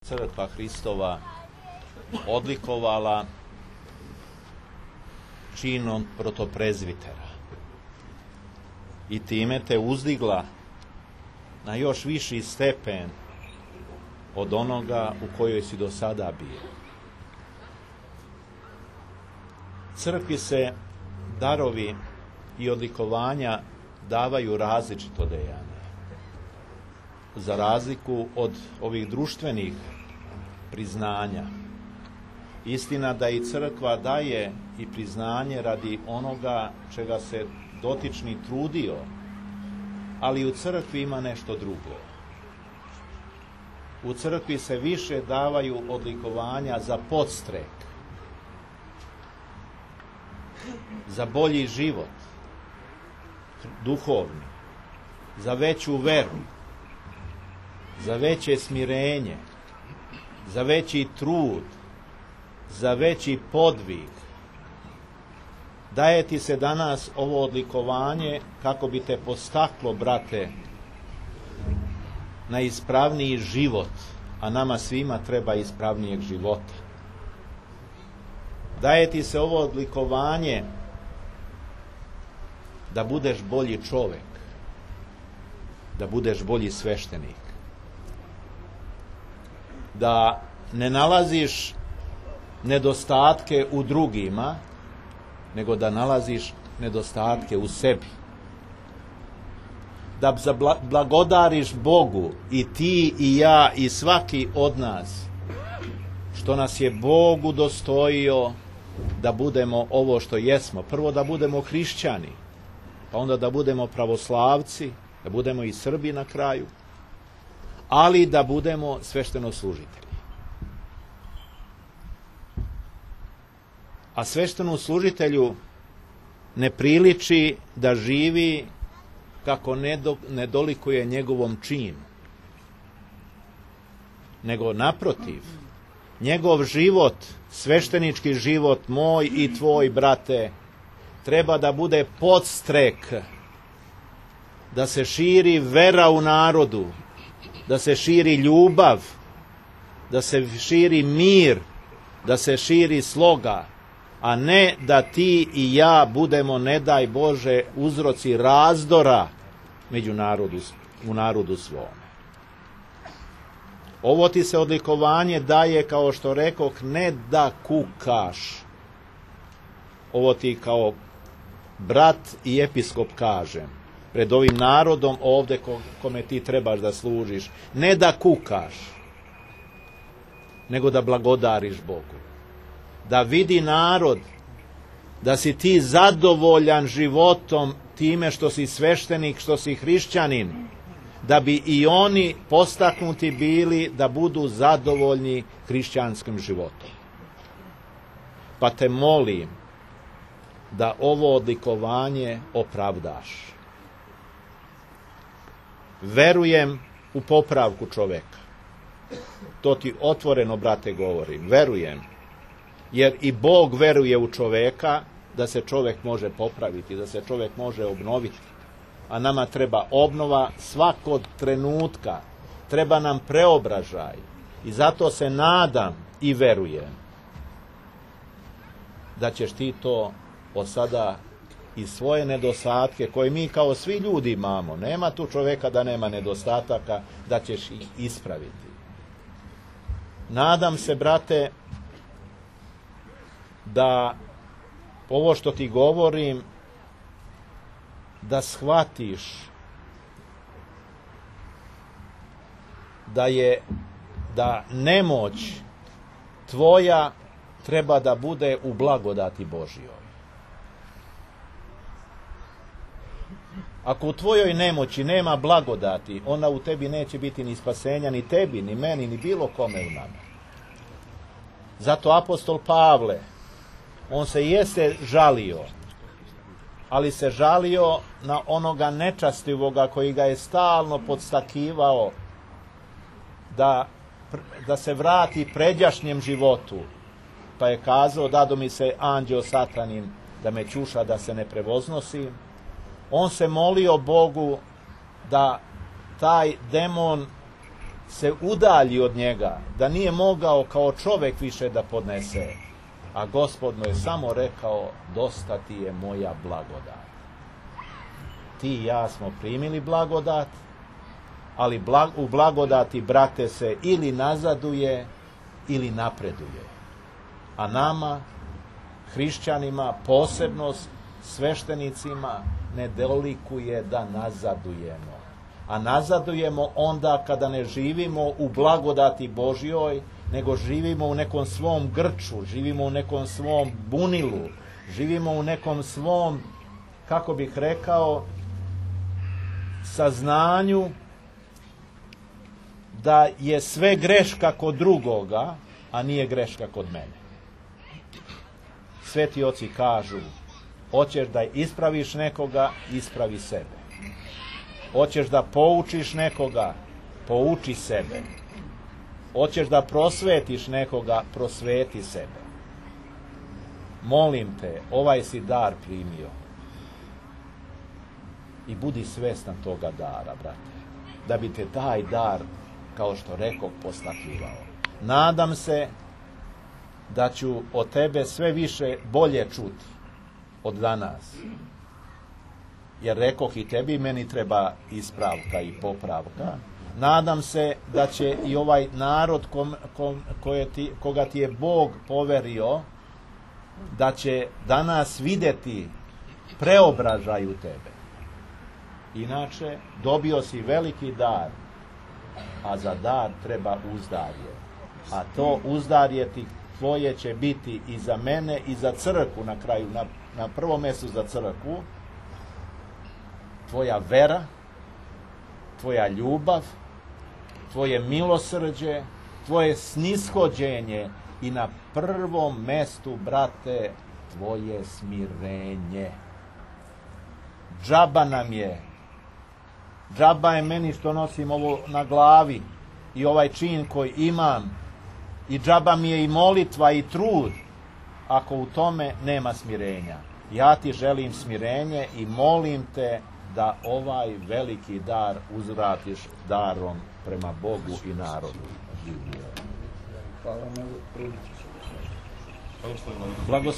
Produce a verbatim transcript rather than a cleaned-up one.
Crkva Hristova odlikovala činom protoprezvitera i time te uzdigla na još viši stepen od onoga u kojoj si do sada bio. Crkvi se darovi i odlikovanja davaju različito dejanje. Za razliku od ovih društvenih priznanja, istina da i crkva daje i priznanje radi onoga čega se dotični trudio, ali u crkvi ima nešto drugo. U crkvi se više davaju odlikovanja za podstrek, za bolji život, duhovni, za veću veru, za veće smirenje, za veći trud, za veći podvig. Daje ti se danas ovo odlikovanje kako bi te postaklo, brate, na ispravniji život, a nama svima treba ispravnijeg života. Daje ti se ovo odlikovanje da budeš bolji čovjek, da budeš bolji sveštenik, da ne nalaziš nedostatke u drugima, nego da nalaziš nedostatke u sebi. Da blagodariš Bogu i ti i ja i svaki od nas, što nas je Bog udostojio da budemo ovo što jesmo. Prvo da budemo hrišćani, pa onda da budemo pravoslavci, da budemo i Srbi na kraju, ali da budemo sveštenoslужitelji. A sveštenoslужitelju ne priliči da živi kako ne dolikuje njegovom činu, nego naprotiv, njegov život, sveštenički život, moj i tvoj, brate, treba da bude podstrek, da se širi vera u narodu, da se širi ljubav, da se širi mir, da se širi sloga, a ne da ti i ja budemo, ne daj Bože, uzroci razdora među narodu, u narodu svome. Ovo ti se odlikovanje daje, kao što rekoh, ne da kukaš. Ovo ti kao brat i episkop kažem, pred ovim narodom ovde kome ti trebaš da služiš, ne da kukaš, nego da blagodariš Bogu. Da vidi narod da si ti zadovoljan životom time što si sveštenik, što si hrišćanin, da bi i oni postaknuti bili da budu zadovoljni hrišćanskim životom. Pa te molim da ovo odlikovanje opravdaš. Verujem u popravku čoveka. To ti otvoreno, brate, govorim. Verujem. Jer i Bog veruje u čoveka da se čovjek može popraviti, da se čovjek može obnoviti. A nama treba obnova svakog trenutka. Treba nam preobražaj. I zato se nadam i verujem da ćeš ti to od sada i svoje nedostatke, koje mi kao svi ljudi imamo, nema tu čovjeka da nema nedostataka, da ćeš ih ispraviti. Nadam se, brate, da ovo što ti govorim, da shvatiš da je, da nemoć tvoja treba da bude u blagodati Božjoj. Ako u tvojoj nemoći nema blagodati, onda u tebi neće biti ni spasenja, ni tebi, ni meni, ni bilo kome u nama. Zato apostol Pavle, on se jeste žalio, ali se žalio na onoga nečastivoga koji ga je stalno podstakivao da, da se vrati pređašnjem životu. Pa je kazao, dado mi se anđeo satanin da me ćuša, da se ne prevoznosim. On se molio Bogu da taj demon se udalji od njega, da nije mogao kao čovjek više da podnese. A Gospod mu je samo rekao, dosta ti je moja blagodat. Ti i ja smo primili blagodat, ali blag, u blagodati, brate, se ili nazaduje, ili napreduje. A nama, hrišćanima, posebno sveštenicima, ne dolikuje da nazadujemo. A nazadujemo onda kada ne živimo u blagodati Božjoj, nego živimo u nekom svom grču, živimo u nekom svom bunilu, živimo u nekom svom, kako bih rekao, saznanju da je sve greška kod drugoga, a nije greška kod mene. Sveti oci kažu, hoćeš da ispraviš nekoga, ispravi sebe. Hoćeš da poučiš nekoga, pouči sebe. Hoćeš da prosvetiš nekoga, prosveti sebe. Molim te, ovaj si dar primio. I budi svestan toga dara, brate. Da bi te taj dar, kao što rekoh, postakivao. Nadam se da ću od tebe sve više bolje čuti od danas. Jer rekoh i tebi, meni treba ispravka i popravka. Nadam se da će i ovaj narod kom, kom, koje ti, koga ti je Bog poverio, da će danas vidjeti preobražaj u tebe. Inače, dobio si veliki dar, a za dar treba uzdarje. A to uzdarje ti tvoje će biti i za mene i za crkvu na kraju, na, na prvom mjestu za crkvu, tvoja vera, tvoja ljubav, tvoje milosrđe, tvoje snishođenje i na prvom mestu, brate, tvoje smirenje. Džaba nam je, džaba je meni što nosim ovo na glavi i ovaj čin koji imam, i džaba mi je i molitva i trud ako u tome nema smirenja. Ja ti želim smirenje i molim te da ovaj veliki dar uzvratiš darom prema Bogu i narodu. Hvala.